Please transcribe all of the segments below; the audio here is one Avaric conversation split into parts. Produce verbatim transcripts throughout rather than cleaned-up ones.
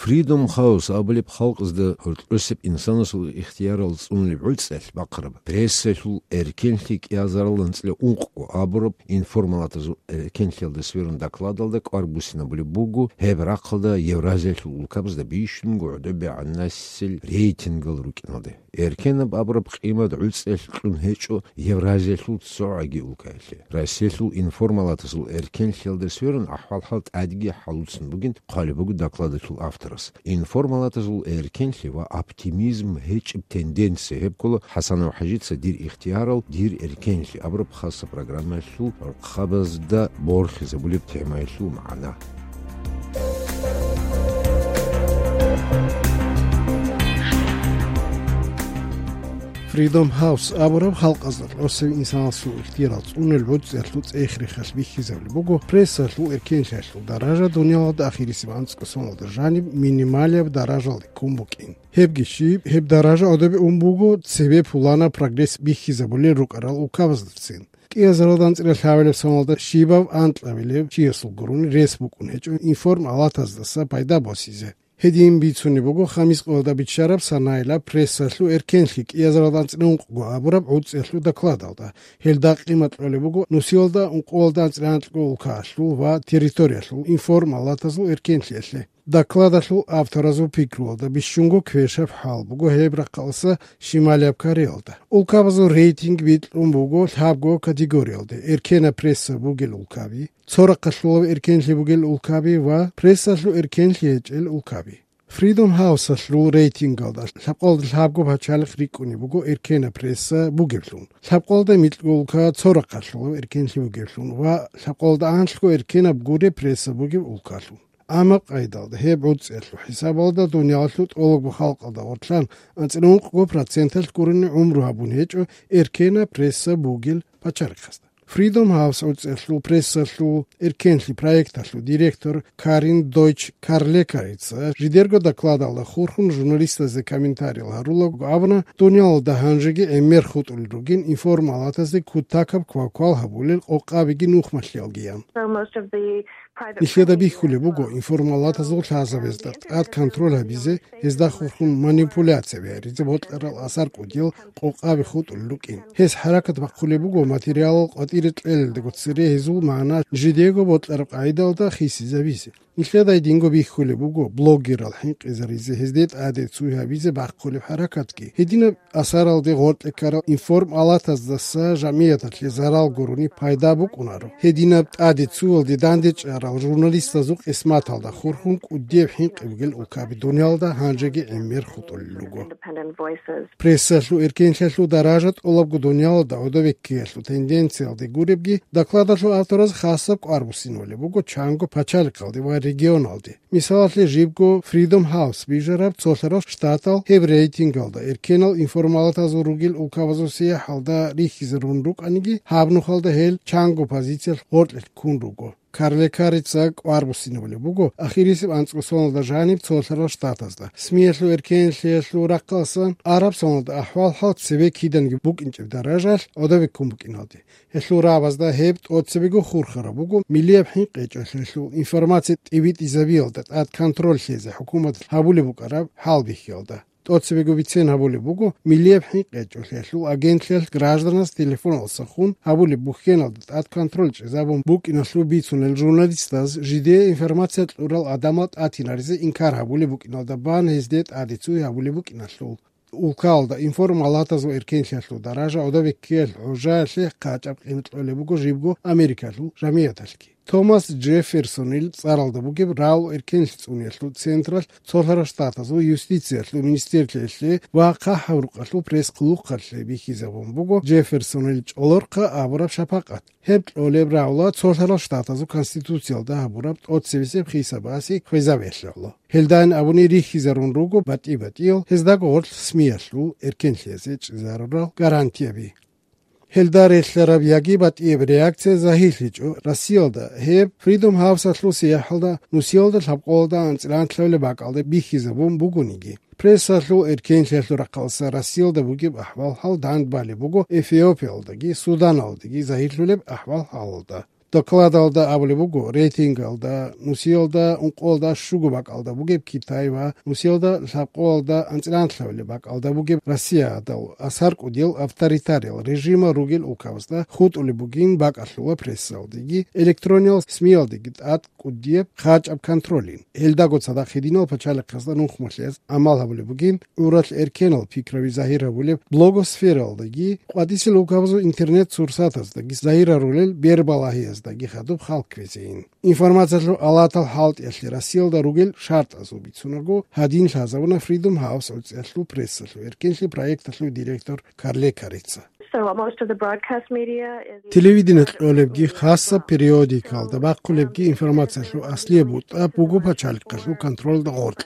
Freedom House абулеб халкъазда гьоркьосеб инсанасул ихтиярал цӀунулеб гӀуцӀиялъ бахъараб, прессалъул эркенлъи кӀиазарал анцӀила ункъго абураб информалатазул эркенлъиялда сверун докладалда кӀвар буссинабулеб буго, гьеб рахъалда Евразиялъул улкабазда бищунго гӀодобегӀанасел рейтингал рукӀиналде. Эркенаб абураб къимат гӀуцӀиялъ кьун гьечӀо Евразиялъул цогӀаги улкаялъе. Россиялъул информалатазул эркенлъиялда сверун ахӀвал-хӀал тӀадги хӀалуцун бугин хъвалеб буго докладалъул авторас. Информалатазул эркенлъи ва оптимизм гьечӀеб тенденция гьеб ккола ХӀасанов ХӀажица «Дир ихтиярал, дир эркенлъи» абураб хасаб программаялъул рахъабазда борхизабулеб темаялъул магӀна. Freedom House абураб халкъазда гӀолохъабазул инсанасул ихтиярал цӀунулел гӀуцӀиялъул цӀех-рехалъ бихьизабулеб буго прессалъул эркенлъиялъул даража дуниялалда ахирисеб анцӀго соналда жаниб минималияб даражалде ккун букӀин. Гьебги щиб, гьеб даража гӀодобе ун буго цебе пуланаб прогресс бихьизабулел рукӀарал улкабаздацин. КӀиазаралда анцӀила лъабабилеб соналда щибав анкьабилев чиясул гурони рес букӀун гьечӀо информалатаздаса пайда босизе. Гьедин бицунеб буго Хамис къоялда биччараб санаялъ прессалъул эркенлъи кӀиазаралда анцӀила ункъго абураб гӀуцӀиялъул докладалда. Гьелда къимат кьолеб буго нусиялда ункъоялда анцӀила анкьго улкаялъул ва территориялъул информалатазул эркенлъиялъе. Докладалъул авторазул пикруялда бищунго квешаб хӀал буго гьеб рахъалъа Шималияб Кореялда. Улкабазул рейтинг бикьун буго лъабго категориялде: эркенаб пресса бугел улкаби, цо рахъалъулаб эркенлъи бугел улкаби ва прессалъул эркенлъи гьечӀел улкаби. Freedom House-алъул рейтингалда лъабкъоялда лъабго пачалихъ рикӀкӀунеб буго эркенаб пресса бугеблъун, лъабкъоялда микьго улка цо рахъалъулаб эркенлъи бугеблъун ва лъабкъоялда анлъго эркенаб гуреб пресса бугеб улкалъун. Амма къайдалда гьеб гӀуцӀиялъул хӀисабалда дуниялалъул тӀолабго халкъалда гъорлъан анцӀила ункъго проценталъ гурони гӀумру гьабун гьечӀо эркенаб пресса бугел пачалихъазда. Freedom House гӀуцӀиялъул прессалъул эркенлъи проекталъул директор Карин Дойч Карлекарица жидерго докладалда хурхун журналистазда комментариял гьарулаго абуна, дуниялалда гьанжеги гӀемер хутӀулел ругин информалатазде кутакаб квалквал гьабулел къокъабиги нухмалъиялгиян. So most of the private Нилъеда бихьулеб буго информалатазул лъазабазда тӀад контроль гьабизе, гьезда хурхун манипуляция гьаризе бокьарал асар кӀудиял къокъаби хутӀулел рукӀин. Гьез хӀаракат бахъулеб буго материалал къватӀире кьелелдего цере гьезул магӀна жидего бокьараб къагӀидалда хисизабизе. Нилъеда гьединго бихьулеб буго блогерал хӀинкъизаризе, гьезде тӀаде цуй гьабизе бахъулеб хӀаракатги. Гьединаб асаралде гъоркье ккарал информалатаздаса жамияталъе зарал гурони пайда букӀунаро. Гьединаб тӀаде цуялде дандечӀарал журналистазул къисматалда хурхун кӀудияб хӀинкъи бугел улкаби дуниялалда гьанжеги гӀемер хутӀулел руго. Прессалъул эркенлъиялъул даража тӀолабго дуниялалда гӀодовеккиялъул тенденциялде гуребги, докладалъул автораз хасаб кӀвар буссинабулеб буго чанго пачалихъалде ва регионалде. Мисалалъе, жибго Freedom House бижараб Цолъарал Штатал гьеб рейтингалда эркенал информалатазул ругел улкабазул сияхӀалда рихьизарун рукӀаниги, гьаб нухалда гьел чанго позициялъ гъоркье ккун руго. Карлекарица кӀвар буссинабулеб буго ахирисеб анцӀго соналда жаниб Цолъарал Штатазда. СМИялъул эркенлъиялъул рахъалъан араб соналда ахӀвал-хӀал цебе киданиги букӀинчӀеб даражалъ гӀодобе ккун букӀиналде. Гьелъул рагӀабазда гьеб тӀоцебего хурхараб буго миллияб хӀинкъи гьечӀолъиялъул информация тӀибитӀизабиялда тӀад контроль лъезе хӀукуматалъ гьабулеб букӀараб хӀалбихьиялда. ТӀоцебего бицен гьабулеб буго миллияб хӀинкъи гьечӀолъиялъул агентлъиялъ гражданас телефоналдаса хун гьабулеб бухьеналда тӀад контроль чӀезабун букӀиналъул бицунел журналистаз жидее информация кьурал гӀадамал тӀатинаризе инкар гьабулеб букӀиналда бан гьезде тӀаде цуй гьабулеб букӀиналъул. Улкалда информалатазул эркенлъиялъул даража гӀодовеккиялъ гӀужаялъе къачӀаб къимат кьолеб буго жибго Америкалъул жамияталъги. Томас Джефферсонил цӀаралда бугеб рагӀул эркенлъи цӀуниялъул централъ Цолъарал Штатазул юстициялъул министрлъиялъе ва ХъахӀаб Рукъалъул пресс-хъулухъалъе бихьизабун буго Джефферсонил чӀолорхъа абураб шапакъат. Гьеб кьолеб рагӀула Цолъарал Штатазул Конституциялда гьабураб тӀоцебесеб хисабасе хвезабиялъе гӀоло. Гьелдайин абуни рихьизарун руго батӀи-батӀиял гьездаго гъорлъ СМИялъул эркенлъиялъе чӀезарурал гарантияби. Гьелда релълъараб яги батӀияб реакция загьирлъичӀо Россиялда, гьеб Freedom House-алъул сияхӀалда нусиялда лъабкъоялда анцӀила анлъабилеб бакӀалде бихьизабун бугониги. Прессалъул эркенлъиялъул рахъалъа Россиялда бугеб ахӀвал-хӀал дандбалеб буго Эфиопиялдаги Суданалдаги загьирлъулеб ахӀвал-хӀалалда. Докладалда абулеб буго, рейтингалда нусиялда ункъоялда щуго бакӀалда бугеб Китай ва нусиялда лъабкъоялда анцӀила гьабилеб бакӀалда бугеб Россия гьадал асар кӀудиял авторитариял режимал ругел улкабазда хутӀулеб бугин бакӀалъула прессалдеги, электрониял СМИялдеги тӀад кӀудияб хъачӀаб контролин. Гьелдаго цадахъ гьединал пачалихъазда нухмалъиялъ гӀамал гьабулеб бугин, гӀуралъ эркенал пикраби загьир гьабулеб блогосфералдаги, къватӀисел улкабазул интернет-сурсатаздаги загьир гьарулел бербалагьияздаги хадуб хал кквезейин. Информациялъул алатал хӀалтӀиялъе Россиялда ругел шартӀазул бицунаго, гьадин лъазабуна Freedom House гӀуцӀиялъул прессалъул эркенлъи проекталъул директор Карле Карица. So most of the broadcast media is Телевидение кьолебги, хасаб периодикалда бахъулебги информациялъул аслияб бутӀа буго пачалихъалъул контролда гъоркь.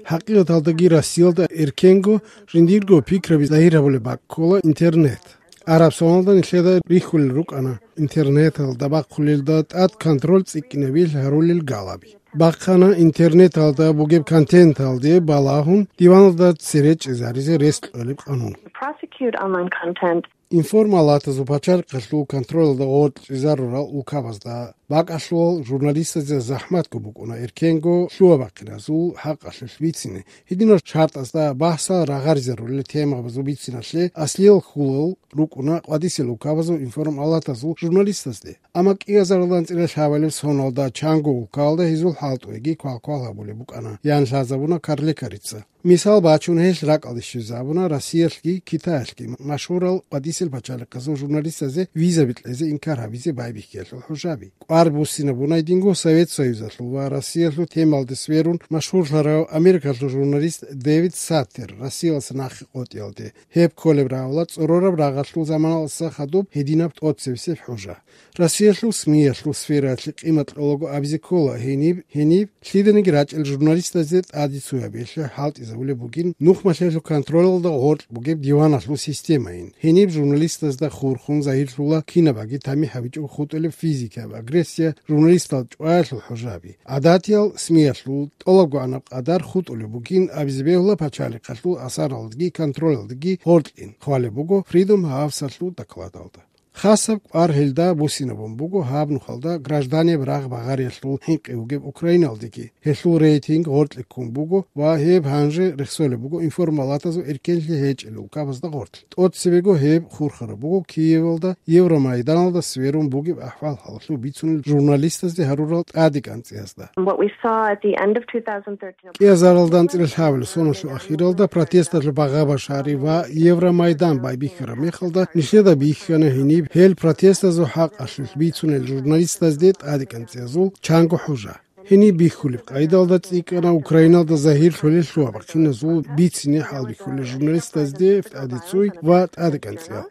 ХӀакъикъаталдаги Россиялда эркенго жиндирго пикраби загьир гьабулеб бакӀ ккола интернет. Араб соналда нилъеда рихьулел рукӀана интернеталда бахъулелда тӀад контроль цӀикӀкӀинабил гьарулел галаби. Бахъана интернеталда бугеб контенталде балагьун диваналда цере чӀезаризе рес кьолеб къанун. Prosecute online content. Информалатазул пачалихъалъул контролалда гъоркь чӀезарурал улкабазда бакӀалъулал журналистазе захӀматго букӀуна эркенго лъугьа-бахъиназул хӀакъалъулъ бицине. Гьединал шартӀазда бахӀсал рагъаризарулел темабазул бициналъе аслиял хьулал рукӀуна къватӀисел улкабазул информалатазул журналистазде. Амма кӀиазаралда анцӀила лъабалеб соналда чанго улкалда гьезул хӀалтӀуеги квалквал гьабулеб букӀана, ян лъазабуна Карле Карица. Мисал бачун, гьелъ ракӀалде щвезабуна Россиялъги Китаялъги машгьурал къватӀисел пачалихъазул журналистазе визаби кьезе инкар гьабизе байбихьиялъул хӀужаби. КӀвар буссинабуна гьединго Совет Союзалъул ва Россиялъул темалде сверун машгьурлъарав Америкалъул журналист Дэвид Саттер Россиялдаса нахъе къотӀиялде. Гьеб кколеб рагӀула цӀорораб рагъалъул заманалдаса хадуб гьединаб тӀоцебесеб хӀужа. Россиялъул СМИялъул сфераялъе къимат кьолаго абизе ккола гьениб, гьениб лъиданиги рачӀел журналистазде тӀаде цояб гьелъ хӀалтӀизабулеб бугин нухмалъиялъул контролалда гъоркь бугеб диваналъул системайин. Гьениб журналистазда хурхун загьирлъула кинабаги тамихӀ гьабичӀого хутӀулеб физикияб агрессия, журналистал чӀваялъул хӀужаби. ГӀадатиял СМИялъул тӀолабгоанаб къадар хутӀулеб бугин абизе бегьула пачалихъалъул асаралдаги контролалдаги гъоркьин, хъвалеб буго Freedom House-алъул докладалда. Хасаб кӀвар гьелда буссинабун буго гьаб нухалда гражданияб рагъ-багъариялъул хӀинкъи бугеб Украиналдеги. Гьелъул рейтинг гъоркье ккун буго ва гьеб гьанже рехсолеб буго информалатазул эркенлъи гьечӀел улкабазда гъоркь. ТӀоцебего гьеб хурхараб буго Киевалда Евромайданалда сверун бугеб ахӀвал-хӀалалъул бицунел журналистазде гьарурал тӀадекӀанцӀиязда. What we saw at the end of two thousand thirteen. КӀиазаралда анцӀила лъабабилеб соналъул ахиралда протесталъул багъа-башари ва Евромайдан байбихьараб мехалда нилъеда бихьана гьениб гьел протестазул хӀакъалъулъ бицунел журналистазде тӀадекӀанцӀиязул чанго хӀужа. Гьениб бихьулеб къайдалда цӀикӀкӀана Украиналда загьирлъулел лъугьа-бахъиназул бицине хӀалбихьулел журналистазде тӀаде цой ва тӀадекӀанцӀиял.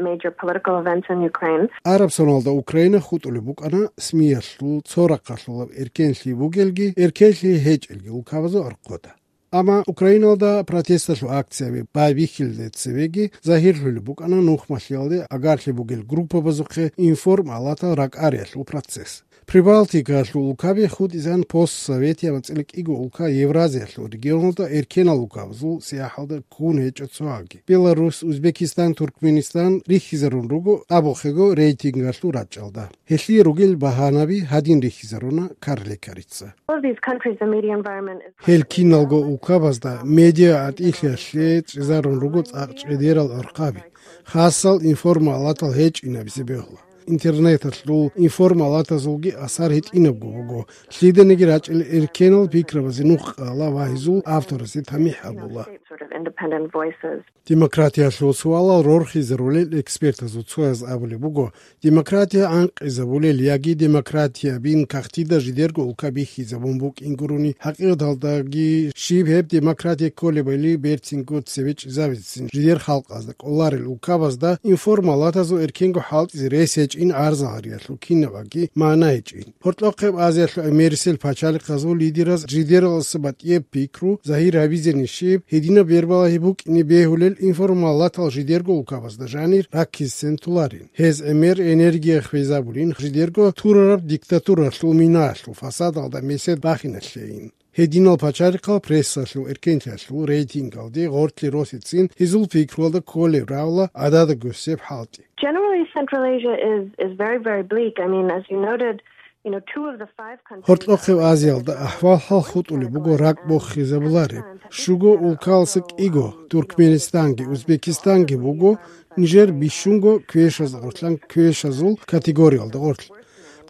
Major political events in Ukraine. Араб соналда Украина хутӀулеб букӀана СМИялъул цо рахъалъулаб эркенлъи бугелги, эркенлъи гьечӀелги улкабазул архъода. Амма Украиналда протесталъул акцияби байбихьилде цевеги загьирлъулеб букӀана нухмалъиялде агарлъи бугел группабазухъе информалатал ракӀариялъул процесс. Прибалтикалъул улкаби хутӀизан постсоветияб анцӀила кӀиго улка Евразиялъул регионалда эркенал улкабазул сияхӀалда ккун гьечӀо цоги. Беларус, Узбекистан, Туркменистан рихьизарун руго абухъего рейтингалъул рачӀалда. Гьелъие ругел багьанаби гьадин рихьизаруна Карле Карица. All of these countries, the media environment is Гьел киналго улкабазда медиа гӀатӀилъиялъе чӀезарун руго цӀакъ чӀедерал гӀурхъаби, хасал информалатал гьечӀинабизе бегьула. Интернеталъул информалатазулги асар гьитӀинабго буго, лъиданиги рачӀел эркенал пикрабазе нух кьала ва гьезул авторазе тамихӀ гьабула. Sort of independent voices. Демократиялъул суалал рорхизарулел экспертазул цояз абулеб буго, демократия гӀанкъизабулел яги демократиябин кагътида жидерго улка бихьизабун букӀин гурони, хӀакъикъаталдаги щиб гьеб демократия кколебали берцинго цеве чӀезабицин жидер халкъазда кӀоларел улкабазда информалатазул эркенго хӀалтӀизе рес гьечӀин гӀарзариялъул кинабаги магӀна гьечӀин. Гьоркьохъеб Азиялъул гӀемерисел пачалихъазул лидераз жидералъуса батӀияб пикру загьир гьабизени щиб, гьединаб бербалагьи букӀине бегьулел информалатал жидерго улкабазда жанир раккизе толарин. Гьез гӀемер энергия хвезабулин жидерго турараб диктатуралъул минаялъул фасадалда месед бахиналъейин. Гьединал пачалихъал прессалъул эркенлъиялъул рейтингалде гъоркье росецин гьезул пикруялда кколеб равла гӀадада госеб хӀалтӀи. Generally, Central Asia is, is very, very bleak. I mean, as you noted, you know, two of the five countries Гьоркьохъеб Азиялда ахӀвал-хӀал хутӀулеб буго ракӀ бохизабулареб. Щуго улкаласа кӀиго, Туркменистанги Узбекистанги буго, нижер бищунго квешаз гъорлъан квешазул категориялда гъорлъ.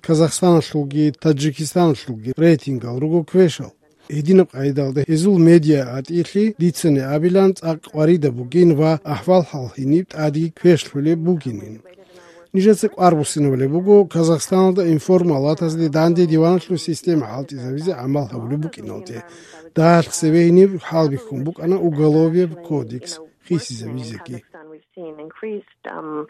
Казахстаналъулги Таджикистаналъулги рейтингал руго квешал. Гьединаб къайдалда гьезул медиа гӀатӀилъи дицани абилан цӀакъ къваридаб бугин ва ахӀвал-хӀал гьениб тӀаде квешлъулеб бугинин. Нижеца кӀвар буссинабулеб буго Казахстаналда информалатазде данде диваналъул система хӀалтӀизавизе гӀамал гьабулеб букӀиналде. Дагьалъ цебе гьениб хӀалбихьун букӀана Уголовьяб кодекс хисизавизеги. We've seen increased, um,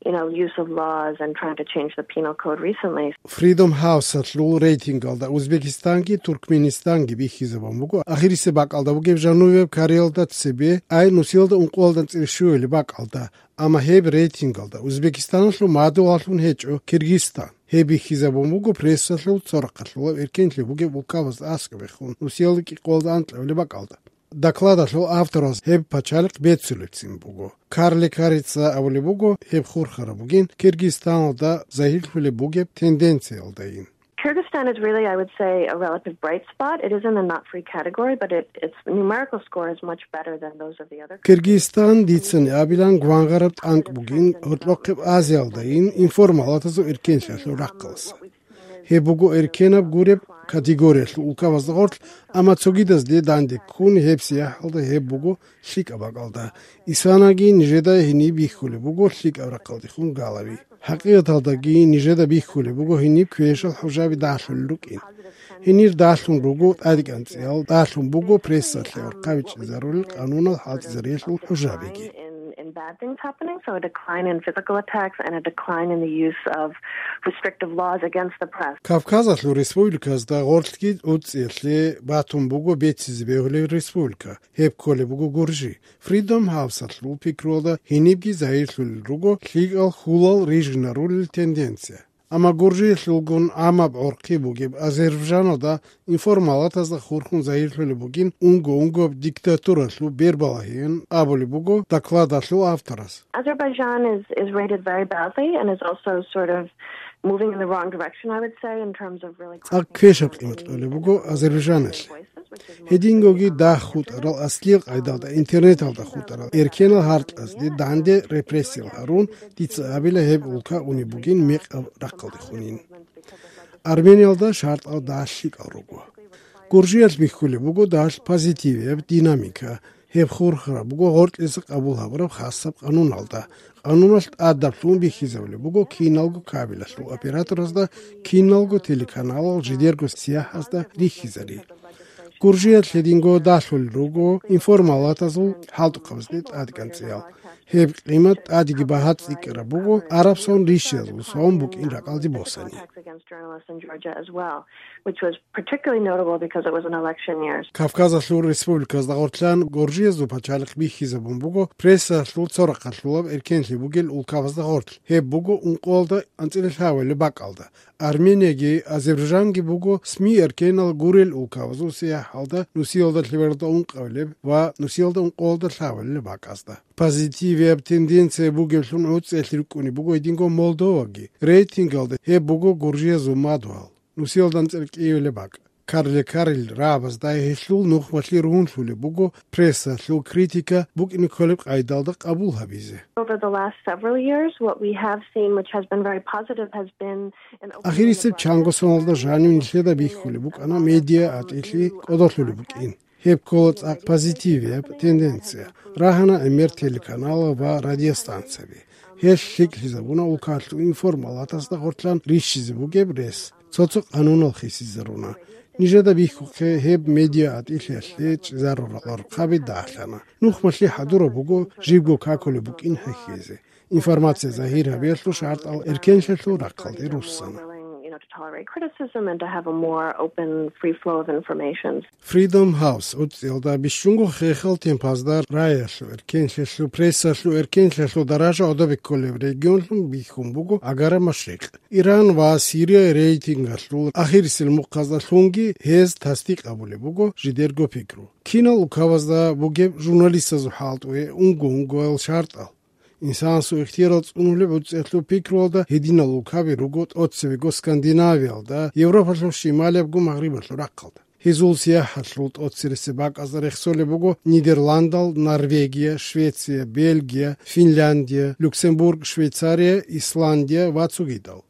you know, use of laws and trying to change the penal code recently. Freedom House-алъул рейтингалда Узбекистанги Туркменистанги бихьизабун буго ахирисеб бакӀалда бугеб жанубияб Кореялда цебе, ай нусиялда ункъоялда анцӀила щуялеб бакӀалда, амма гьеб рейтингалда Узбекистаналъул мадугьаллъун гьечӀо Киргизстан. Гьеб бихьизабун буго прессалъул цо рахъалъулаб эркенлъи бугеб улкабазда аскӀобехун нусиялда кӀикъоялда анкьабилеб бакӀалда. Докладалъул автораз гьеб пачалихъ беццулебцин буго. Карли Карица абулеб буго, гьеб хурхараб бугин Киргизстаналда загьирлъулеб бугеб тенденциялдайин. Kyrgyzstan is really, I would say, a relative bright spot. It is in the not free category, but it, its numerical score is much better than those of the other countries. Киргизстан дицани абилан гвангъараб тӀанкӀ бугин гьоркьохъеб Азиялдайин информалатазул эркенлъиялъул рахъалъ. Гьеб буго эркенаб гуреб категориялъул улкабазда гъорлъ, амма цогидазде данде ккун гьеб сияхӀалда гьеб буго лъикӀаб бакӀалда. Исанаги нижеда гьениб бихьулеб буго лъикӀаб рахъалдехун галаби. ХӀакъикъаталдаги нижеда бихьулеб буго гьениб квешал хӀужаби далъулел рукӀин. Гьенир далъун руго тӀадегӀанцӀиял, далъун буго прессалъе гӀурхъаби чӀезарулел къанунал хӀалтӀизариялъул хӀужабиги. In, in bad things happening, so a decline in physical attacks and a decline in the use of restrictive laws against the press. Кавказалъул республиказда гъорлъги гӀуцӀиялъе батун буго беццизе бегьулеб республика. Гьеб кколеб буго Гуржи. Freedom House-алъул пикруялда гьенибги загьирлъулел руго лъикӀал хьулал рижинарулел тенденция. Амма Гуржиялъулгун гӀамаб гӀурхъи бугеб Азербайджаналда информалатазда хурхун загьирлъулеб бугин унго-унгояб диктатуралъул бербалагьиин абулеб буго докладалъул авторас. Azerbaijan is, is rated very badly and is also sort of moving in the wrong direction, I would say, in terms of really ЦӀакъ квешаб къимат кьолеб буго Азербайджаналъе. Гьедингоги дагь хутӀарал, аслиял къайдалда интернеталда хутӀарал эркенал гьаркьазде данде репрессиял гьарун, дица абила гьеб улка унеб бугин мекъаб рахъалдехунин. Армениялда шартӀал дагь лъикӀал руго. Гуржиялъ бихьулеб буго дагь позитивияб динамика. Гьеб хурхараб буго гъоркьиса къабул гьабураб хасаб къануналда. Къануналъ тӀадаблъун бихьизабулеб буго киналго кабелалъул операторазда, киналго телеканалал жидерго сияхӀазда рихьизари. Гуржиялъ гьединго далъулел руго информалатазул хӀалтӀухъабазде тӀадкӀанцӀиял. Гьеб къимат тӀадеги багьа цӀикӀкӀараб буго араб сон рищиязул сон букӀин ракӀалде босани. Attacks against journalists in Georgia as well, which was particularly notable because it was an election year. Кавказалъул республиказда гъорлъан Гуржиязул пачалихъ бихьизабун буго прессалъул цо рахъалъулаб эркенлъи бугел улкабазда гъорлъ. Гьеб буго ункъоялда анцӀила лъабабилеб бакӀалда. Арменияги Азербайджанги буго СМИ эркенал гурел улкабазул сияхӀалда нусиялда лъабабилеб ункъабилеб ва нусиялда ункъоялда лъабабилеб бакӀазда. Позитивияб тенденция бугеблъун гӀуцӀиялъе рукӀунеб буго гьединго Молдоваги. Рейтингалда гьеб буго Гуржиязул мадугьал, нусиялда анцӀила кӀиабилеб бакӀ. Карли Карил рагӀабазда гьелъул нухмалъи ругьунлъулеб буго прессалъул критика букӀине кколеб къайдалда къабул гьабизе. Over the last several years, what we have seen, which has been very positive, has been an opening of the broadcast. Ахирисеб чанго соналда жанив нилъеда бихьулеб букӀана медиа гӀатӀилъи кӀодолъулеб букӀин. Гьеб ккола цӀакъ позитивияб тенденция. Рагьана гӀемер телеканалал ва радиостанцияби. Гьелъ лъикӀлъизабуна улкалъул информалатазда гъорлъан рищизе бугеб рес. Цо-цо къанунал хисизаруна. Нижеда бихьухъе гьеб медиа гӀатӀилъиялъе чӀезарурал гӀурхъаби дагьлъана. Нухмалъи хӀадураб буго жибго какулеб букӀин хӀехьезе. Информация загьир гьабиялъул шартӀал эркенлъиялъул рахъалде руссана. to tolerate criticism and to have a more open, free flow of information. Freedom House гӀуцӀиялда бищунго хехал темпазда раялъул эркенлъиялъул, прессалъул эркенлъиялъул даража гӀодобе кколеб регионлъун бихьун буго Агара Машрикъ. Иран ва Сирия рейтингалъул ахирисел мухъазда лъунги гьез тасдикъ абулеб буго жидерго пикру. Кинал улкабазда бугеб журналистазул хӀалтӀуе унго-унгоял шартӀал. Инсанасул ихтиярал цӀунулеб гӀуцӀиялъул пикруялда гьединал улкаби руго тӀоцебего Скандинавиялда, Европалъул шималиябго Магърибалъул рахъалда. Гьезул сияхӀалъул тӀоцересеб бакӀазда рехсолеб буго Нидерландал, Норвегия, Швеция, Бельгия, Финляндия, Люксембург, Швейцария, Исландия ва цогидал.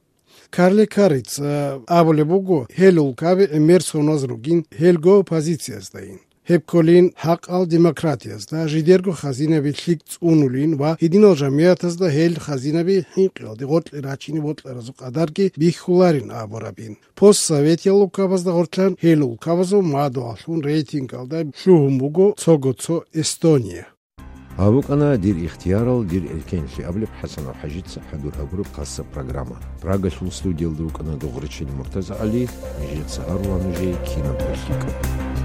Карле Карица абулеб буго, гьел улкаби гӀемер соназ ругин гьелго позицияздаин. Гьеб кколин хӀакъал демократиязда, жидерго хазинаби лъикӀ цӀунулин ва гьединал жамигӀатазда гьел хазинаби хӀинкъиялде гъоркье рачине бокьаразул къадарги бихьуларин абурабин. Постсоветиял улкабазда гъорлъан гьел улкабазул мадугьаллъун рейтингалда лъугьун буго цого-цо Эстония. Гьаб букӀана «Дир ихтиярал, дир эркенлъи» абулеб ХӀасанов ХӀажица хӀадур гьабураб хасаб программа. Прагалъул студиялда вукӀана Дугъричил МуртазагӀали, нижеца гьарула нужее кинаб рахӀикӀаб.